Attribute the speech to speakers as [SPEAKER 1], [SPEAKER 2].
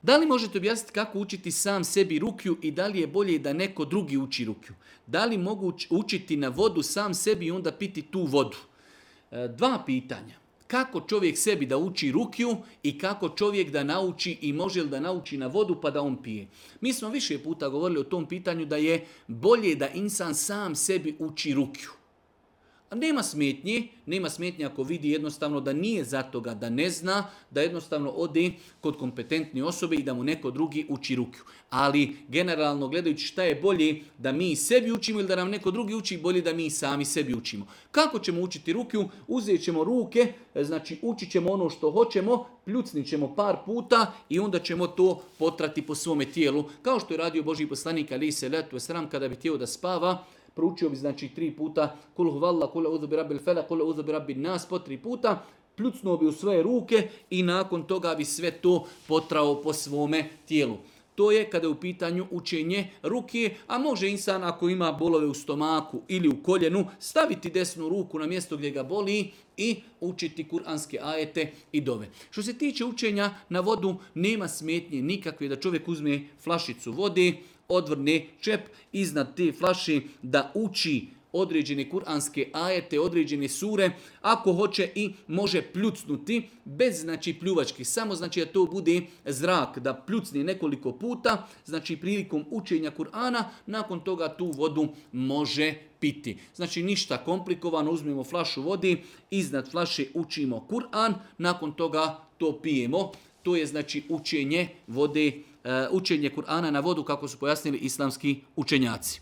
[SPEAKER 1] Da li možete objasniti kako učiti sam sebi rukju i da li je bolje da neko drugi uči rukju? Da li mogu učiti na vodu sam sebi i onda piti tu vodu? Dva pitanja. Kako čovjek sebi da uči rukju i kako čovjek da nauči i može li da nauči na vodu pa da on pije? Mi smo više puta govorili o tom pitanju da je bolje da insan sam sebi uči rukju. A nema smetnje ako vidi jednostavno da nije za toga, da ne zna, da jednostavno ode kod kompetentne osobe i da mu neko drugi uči rukju. Ali generalno gledajući šta je bolje da mi sebi učimo ili da nam neko drugi uči, bolje da mi sami sebi učimo. Kako ćemo učiti rukju? Uzet ćemo ruke, znači učit ćemo ono što hoćemo, pljucnit ćemo par puta i onda ćemo to potrati po svome tijelu. Kao što je radio Božji poslanik alejhi selatu vesselam kada bi htio da spava, proučio bi znači 3 puta kul huvallah, kul a'udhu bi rabbil falaq, kul a'udhu bi rabbin nas po 3 puta, pljucnuo bi u svoje ruke i nakon toga bi sve to potrao po svome tijelu. To je kada je u pitanju učenje ruke, a može insan ako ima bolove u stomaku ili u koljenu staviti desnu ruku na mjesto gdje ga boli i učiti kuranske ajete i dove. Što se tiče učenja na vodu, nema smetnje nikakve da čovjek uzme flašicu vode, odvrne čep iznad te flaše da uči određene kuranske ajete, određene sure, ako hoće i može pljucnuti bez znači pljuvački, samo znači da to bude zrak, da pljucne nekoliko puta, znači prilikom učenja Kur'ana, nakon toga tu vodu može piti. Znači ništa komplikovano, uzmemo flašu vode, iznad flaše učimo Kur'an, nakon toga to pijemo. To je znači učenje vode, učenje Kur'ana na vodu kako su pojasnili islamski učenjaci.